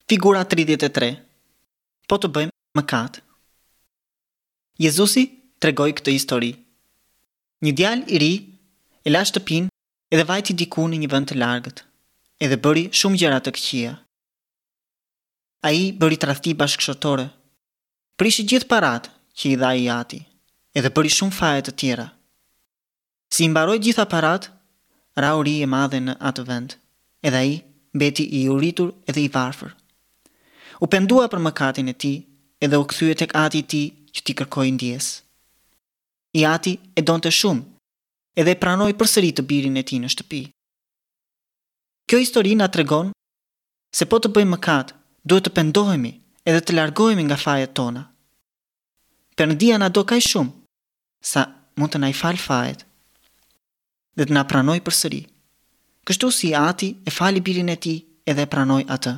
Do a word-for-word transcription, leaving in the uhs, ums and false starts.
Figura tridhjetë e tre. Po të bëjmë mëkat. Jezusi tregoi këtë histori. Një djalë i ri e la shtëpinë edhe vajti diku në një vend të largët, edhe bëri shumë gjëra të këqija. Ai bëri tradhti bashkëshortore, prishi gjithë paratë që i dha i ati, edhe bëri shumë faje të tjera. Si i mbaroi gjitha paratë, ra uri e madhe në atë vend, edhe ai mbeti i uritur edhe i varfër. U pendua për mëkatin e tij, edhe u kthye tek ati i tij që t'i kërkojë ndjesë. I ati e donte shumë, edhe e pranoi përsëri të birin e tij në shtëpi. Kjo histori na tregon se po të bëjmë mëkat, duhet të pendohemi edhe të largohemi nga fajet tona. Perëndia na do kaq shumë sa mund të na i fal fajet dhe të na pranojë përsëri. Kështu si ati e fali birin e tij edhe e pranoi atë.